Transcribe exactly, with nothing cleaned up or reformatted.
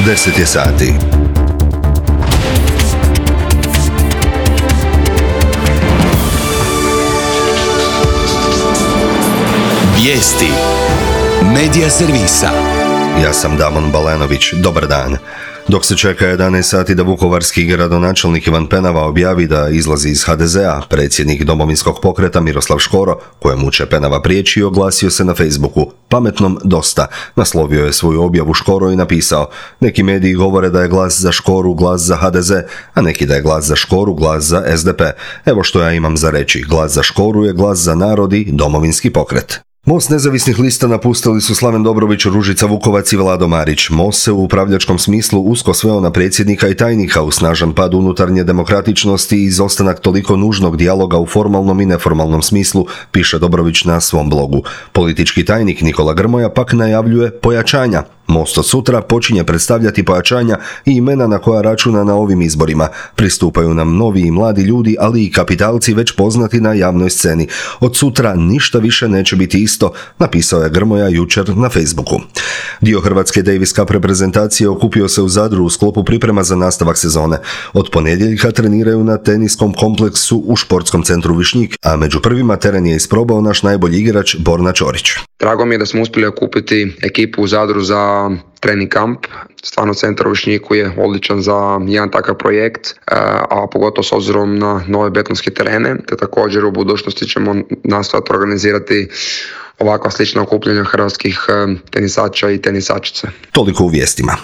deset je sati. Vijesti Medija servisa. Ja sam Damon Balenović, dobar dan. Dok se čeka jedanaest sati da vukovarski gradonačelnik Ivan Penava objavi da izlazi iz ha de ze a, predsjednik Domovinskog pokreta Miroslav Škoro, kojemu će Penava prijeći, oglasio se na Facebooku. Pametnom dosta. Naslovio je svoju objavu Škoro i napisao: neki mediji govore da je glas za Škoru glas za ha de ze, a neki da je glas za Škoru glas za es de pe. Evo što ja imam za reći. Glas za Škoru je glas za narod i Domovinski pokret. Most nezavisnih lista napustili su Slaven Dobrović, Ružica Vukovac i Vlado Marić. Most se u upravljačkom smislu usko sveo na predsjednika i tajnika, u snažan pad unutarnje demokratičnosti i izostanak toliko nužnog dijaloga u formalnom i neformalnom smislu, piše Dobrović na svom blogu. Politički tajnik Nikola Grmoja pak najavljuje pojačanja. Most od sutra počinje predstavljati pojačanja i imena na koja računa na ovim izborima. Pristupaju nam novi i mladi ljudi, ali i kapitalci već poznati na javnoj sceni. Od sutra ništa više neće biti isto, napisao je Grmoja jučer na Facebooku. Dio hrvatske Davis Cup reprezentacije okupio se u Zadru u sklopu priprema za nastavak sezone. Od ponedjeljka treniraju na teniskom kompleksu u športskom centru Višnjik, a među prvima teren je isprobao naš najbolji igrač Borna Ćorić. Drago mi je da smo uspjeli okupiti ekipu u Zadru za trening kamp. Stvarno centar u Višnjiku je odličan za jedan takav projekt, a pogotovo s obzirom na nove betonske terene, te također u budućnosti ćemo nastojati organizirati ovakva slična okupljanja hrvatskih tenisača i tenisačice. Toliko u vijestima.